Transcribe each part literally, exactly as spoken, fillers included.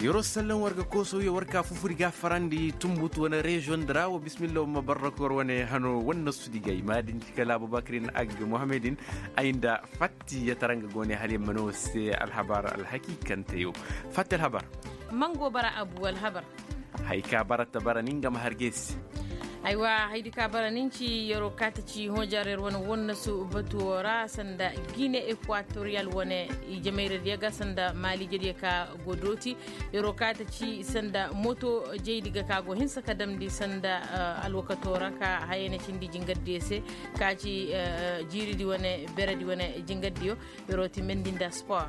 Yeroo sallan war ga koosoo yoo war ka fufuri ga farandi tumbutu wane reziyoŋ di ra wa bismillah wa ma barrak war wane hano wane nasudi ga i ma din ci kala abubakar in agga muhammad in. Ay nda fatti ya tara nga go ne hala yamma no se alhabar alhakiikante yoo. Fatti alhabar. Man go bara abu alhabar. Hay ka bara ta bara ni nga ma har ga ay se. Aywa, haydi ka bara nin ci yeroo ka ta ci hoojar yer wane wonnasu batuwo ra sanda gine ekwatoriyal wane. Ijemayradiyo ga sanda maaliijediyo ka go dooti. Yeroo ka ta ci sanda moto jaydi ga ka go hinsa ka damndi sanda alwakatoo ra ka hayey na cindi jingardiyo se. Ka ci jiiridi wane beredi wane jingardiyo. Yeroo ti mendi nda sport.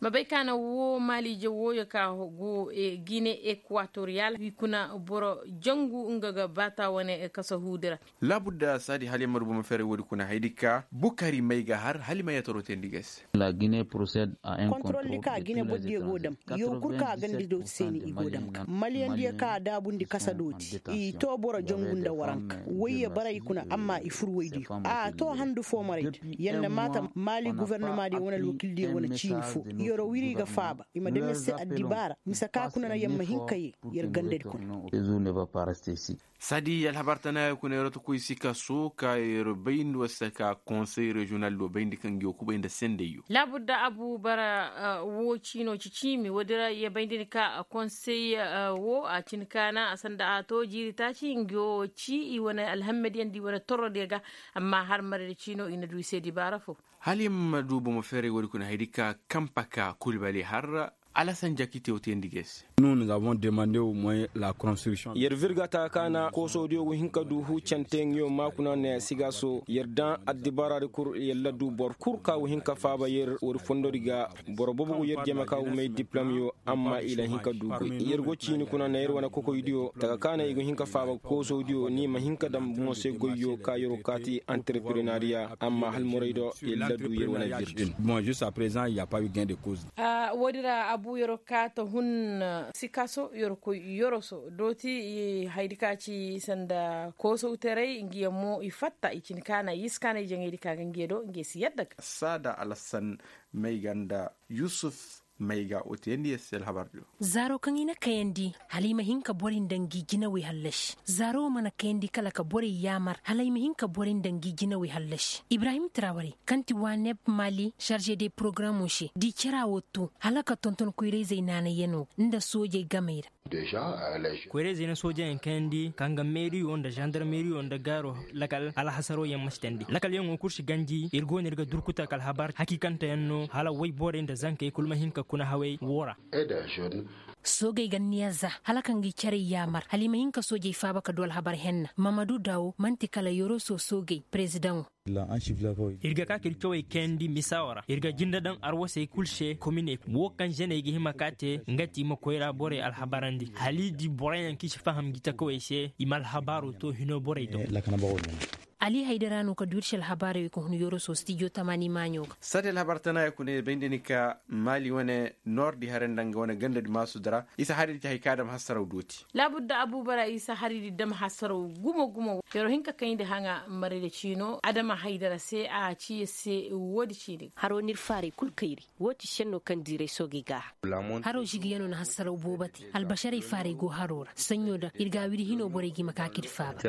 Ma bay ka na woo maaliije wooyo ka go gine ekwatoriyal i kuna boro jangu nga ga baata wane kasahuudi ra. Laabudda saadi hala i ma du boro ma feeray woodi kuna haydi ka bukari may ga har hala i ma yataro teendi ga ay se. Kontrol di ka gine bordiyo go dam. Yow kul ka a ganda dooti se ni i go dam ga maliyandiyo ka a daabundi kasa dooti i too boro jangu nda waranka. Woyye bara i kuna amma i fur woydiyo a too handu foomaraydi. Yer na maata maali gofornamaadiyo wane alwakildiyo wane ciini foo. Yeroo wiri ga faaba i ma dam yer se addibaara mise ka kuna na yer ma hin ka yee yer gandadi kuna. Saadi alhabar tana ya kuna yeroo ta koy sikaso ka yeroo bayndi war se ka konsey reziyonal do bayndi kaŋ ga yoo kubay nda sendey yoo. Laabudda abu bara woo ciinoo ci ciimi woodi ra ya bayndi ni ka konsey woo a cin kaana a sanda a too jiiri taaci nga yoo ci i wane alhammadiyaŋ nda i wane torrodiyo ga. Amma har maradi ciinoo i na du i se dibaara foo. Hala i ma du bomo feeray woodi kuna haydi ka kampa ka kulbali har alasan jakite wo teendi ga ay se. Yer virga taka kaana koosoodiyo go hin ka du huucante nga yo maakuna ne sigaaso yer daŋ addibaaraadi kul yer la du boro kul ka go hin ka faaba yer woodi fondodi ga. Boro boobo go yer jama ka go may diplomyo amma i la hin ka du goy yer go ciini kuna na yer wane kokoydiyo taka kaana i go hin ka faaba koosodiyo ni ma hin ka daŋ mo se goyyo ka yer wo kaati anterprenariya amma hala moraydo yer la du yer wane virdi. Woodi ra abu yer wo kaata hun sikaso yer koy yoroso dooti i haydi ka ci sanda koosowtaray ngi yaŋ mo i fatta i cin kaana i si kaana i jaŋaydi ka ga ngi yaŋ do ngi yaŋ si yadda ga saada alasan may ga nda yusuf may ga wo teyandi yer se alhabar diyo. Zaaro kaŋ i na kayandi hala i ma hin ka borey nda ngi jinawey hallasi zaaro wo mana kayandi kala ka borey yaamar hala i ma hin ka borey nda ngi jinawey hallasi ibrahim traware kaŋ ti waaneb mali sarze de porogaramo se da i cara wo to hala ka tonton koyrayzey naanayyano nda soojey gamey ra. Koyra-izey na soojayaŋ kayandi ka nga meeriyo nda zandarmeeriyo nda gaaro lakal alhasaro yaŋ ma si tandi lakalyaŋo kul si ganji ir go no ir ga durkuta ka alhabar hakiikanteyaŋ no hala woy borey nda zankey kul ma hin ka kuna hawey woo ra. Soogey ga niya za hala ka ngi carey yaamar hala i ma hin ka soojey faaba ka du alhabar henna mamadu dawo man'ti kala yoroso soogey perezidaŋo. Ir ga ka ka ir cawey kayandi misawo ra ir ga jinde daŋ arwasey kul se komine woo kaŋ ženey ga hima ka te nga ti i ma koyra borey alhabarandi hala i di boroyaŋ kaŋ i si faham ngi takawey se i ma alhabaaro to hino borey do. Ali haydara no ka du ir se alhabaarey wey ka hun yoroso stijo tamaani maaɲo ga. Sate alhabar tana ya kuna ya bay nda ni ka maali wane noor di haray nda nga wane ganda di maasu dira isa hari di ci hari ka dam hasaraw dooti. Laabudda abuubara isa hari di dam hasaraw gumo gumo yaro hinka kayndi haŋa marayda ciino adama haydara se a ci ya se woodi ciini ga. Haro n'ir faaray kul kayri. Woo ti senno kaŋ diiray soogey ga a. Haro žigiyano na hasaraw boobo te albasharay faaray go haro ra saɲɲo da ir ga a wiri hino borey ga i ma ka ka ir faaba.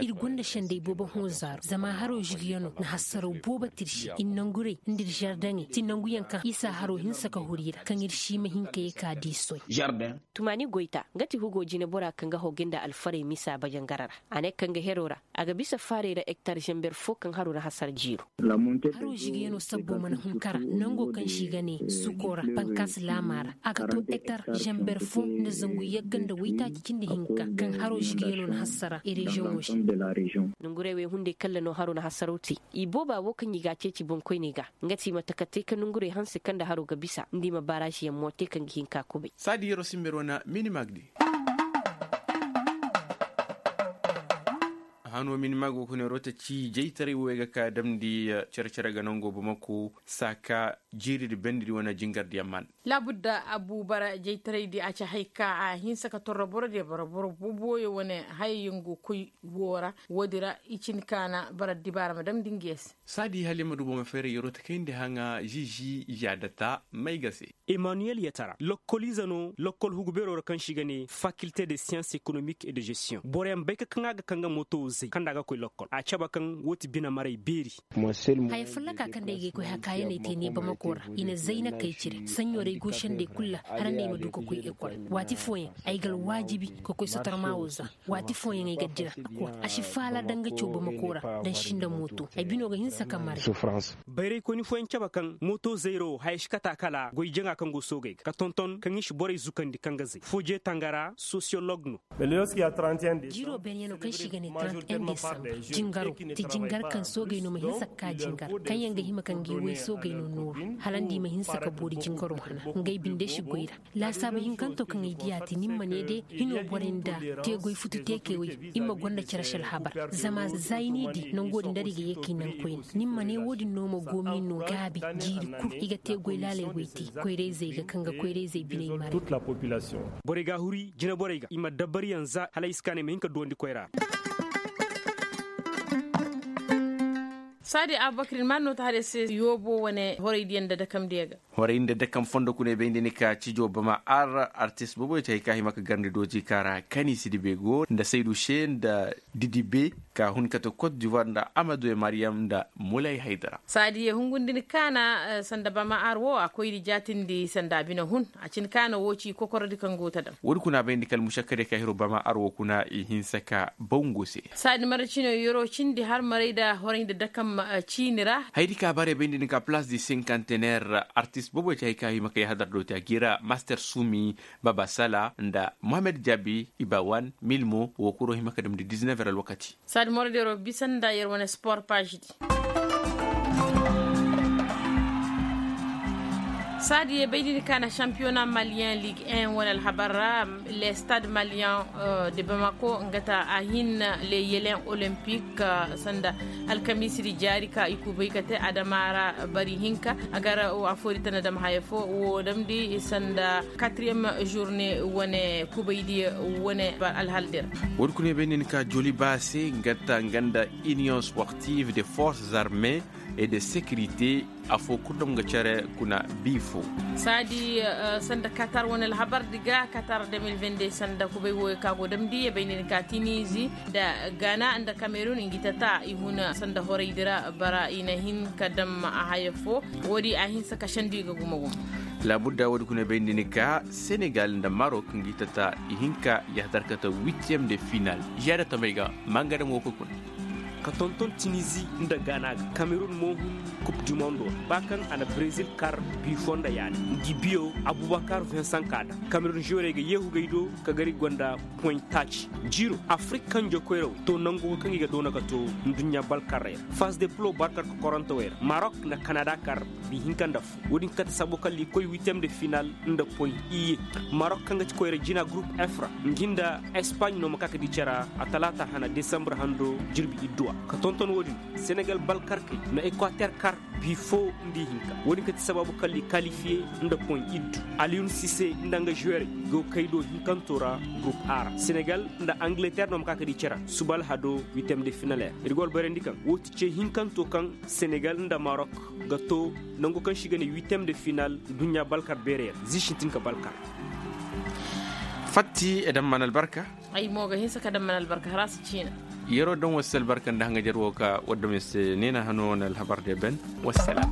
Ir gonda sendey boobo hõ zaaro zama haro žigiyano na hasaraw boobo te ir se ir nangurey nda ir žardaŋey ti nanguyaŋ kaŋ isa haro hinsa ka huru i ra kaŋ ir si ma hin ka ye ka di soy. Tumaani goyta nga ti hugo jinebora kaŋ ga hawgay nda alfarey misa bajangara ra. A ne kaŋ ga hero ra a ga bisa faaray ra ektar žember fo kaŋ haro na hasara jiiro. Haro žigiyano sabbo mana hun kara nango kaŋ se i ga ne suko ra bankas laama ra a ga to ektar žember fo nda zangu yagga nda waytaaci cindi hinka kaŋ haro žigiyano na hasara i reziyoŋo se. Nangurey wey hunday kalla no haro na hasaraw te. I booba wo kaŋ i ga a ceeci boŋkoyney ga nga ti i ma taka te ka nangurey hanse kaŋ nda haro ga bisa nda i ma baaraziyaŋ mo te kaŋ ga hin ka kubay. Saadi yeroo simber wane minimag di. Ano minima go kuna rotaci jaytaray wo ay ga ka damndi cere-cere ga nango bamako saaka jiiri di bendi di wane jingar diyaŋ man. Laabudda abu bara jaytaray di a ci hay ka a hinsa ka torro boro diya bara boro boboyo wane hayay yaŋ go koy wo ra. Wo- din ra i cin kaana bara dibaara ma damndi nga ya se. Saadi hala i ma du boro ma fayra yeroo ta kayndi haŋa ziizi yaadata may ga se. Emmanuel yatara lokkol ize no lokkol hugu beeroo ra kaŋ se i ga ne fakilte de science économique et de gestion boroyaŋ bay ka kaŋ a ga kaŋ ga mooto zay kaŋ nda a ga koy lokkol a cabe kaŋ woo ti bine maray beeri. Haya folloka kaŋ day ga ay koy hakaayaney te ne bamako ra i na zay na kay cire saɲɲo day goosandey kul ra hala nda ay ma du ka koy ekol. Waati fooyaŋ ay ga alwaajibi ka koy sotorma woo za. Waati fooyaŋ ay ga dira a si faala daŋ ga caw bamako ra daŋ si nda mooto ay bino ga hinsa ka maray. Bayraykoyni fooyaŋ cabe kaŋ mooto zayra wo haya si kata kala goy jaŋa kaŋ go soogey ga ka tonton kaŋ i si borey zukandi kaŋ ga zay fooje tangara sosiyolog no. Jiiroo beenyaŋo kaŋ se i ga ne trente et un desambar jingaroo ti jingar kaŋ soogey no ma hinsa ka ka jingar kaŋ yaŋ ga hima ka ngi woy soogey no nooru hala nda i ma hinsa ka boori jingaroo hana ngey binde si goy ra. Laasaabu hinkantoo kaŋ ay diya ti ni ma ne de hinoo borey nda teegoy futu teekey wey i ma gonda cere si alhabar. Zama za ay n'i di nangoo din da ra i ga yee k'i naŋ koyne ni ma ne woo din no ma goomi no gaabi jiiri kul i ga teegoy laaley wey te. Koyra-izey ga kaŋ ga koyra-izey biney maray. Borey ga a huri jineborey ga i ma dabariyaŋ za hala ay si kaanay ma hin ka duwandi koyra ra. Saadi abubakar ni ma no ta hare se yoobo wane horaydiyaŋ nda dakamdiyaŋ ga. Horay nda dakam fondo kuna ay bay nda ni ka cijo bama ar artist boboy ci hay ka hima ka garndi dooti ka ra kani sidibe go nda saydu se nda didibe ka hun kate kot divoir nda amadu e mariyam nda mulay haydara. Saadiye hungundi ni kaana sanda bama ar wo a koyri jaatindi sanda a bine hun. A cin kaana wo ci kokorodi kaŋ go ta daŋ. Woodi kuna bay nda kala musakkade ka hiro bama ar wo kuna i hinsa ka bangu se. Saadi mara cino yero cindi har maray nda horay nda dakam ciini ra. Haydi ka bare bay nda ni ka place du cinquantenaire artist bobo ci hay ka hima ka yahadar do ta gira master sumi baba sala nda mohamed jabi ibawan milmo wo kuro hima ka damdi dix-neuf heures alwakati. Saadi mara dero bisa nda yer wane sport page di. Saadi ye bay nda ni ka na championnat malien ligue un wane alhabar ra. Le stade malien de bamako nga ta a hin le yelen olympique sanda alkamiisidi jaari ka i kubay ka te adama ra bari hinka a gar afori tana dam haya fo wo damdi sanda quatrième journée wane kubaydi wane alhaldira. Wodi kune bay nin ka joli ba se nga ta nga nda union sportive de forces armées et de sécurité. Afo kul dam ga care kuna bi fo. Saadi sanda katar wane alhabar di ga katar deux mille vingt-deux sanda kubay woyo ka go damdi ye bay nin ka tinizi nda gana nda kamerun ngi tata i huna sanda horay dira bara i na hin ka dam a haya fo. Wodi a hinsa ka sandi ga gumo gumo. Labudda wodi kuna bay nin ka senegal nda marok ngi tata i hinka yahadar kata huitième de final. Ziyada tamay ga manga dam wo koy kuna. Ka tonton tinizi nda gana ga kamerun mo hun coupe du monde ba kaŋ a na brezil kar bi fo nda yaani ngi biyo abubakar vincent ka da kamerun ziyore ga yeehu gay do ka gari gonda point taaci. Jiiro afrik kaŋ jokoyra wey to nangu kaŋ i ga doona ka to nduɲɲa balkarrey ra fas de plo barkar ka korantawey ra marok nda kanada kar bi hinka nda fo. Wo-din kate sabo kaŋ liikoy huitième de final nda point iye. Marok kaŋ ga ti koyra jina groupe f ra ngi nda espagne no ma ka ka di cara a talaata hana desambre hando jirbi idduwa. Ka tonton wo-din senegal balkarkey na ekwater kar bi fo nda ihinka. Wo-din kate sababu kaŋ li kalifiye nda point iddu aliyun sise nda nga juwerey go kay do hinkanto ra groupe a ra senegal nda angleterre no ma ka ka di cara suba alhado huitième de final ra. Ir go albarandi kaŋ wo ti ce hinkanto kaŋ senegal nda marok ga to nangu kaŋ si ga ne huitième de final duɲɲa balkar beerey ra zi sintin ka balkar. Fatti e daŋ mana albarka. Ay mo ga hinsa ka daŋ mana albarka hara si ciina. Yeroo daŋ wasa albarka nda haŋajer wo ka wadda ma se neena hano wane alhabar de ben. Wassalam.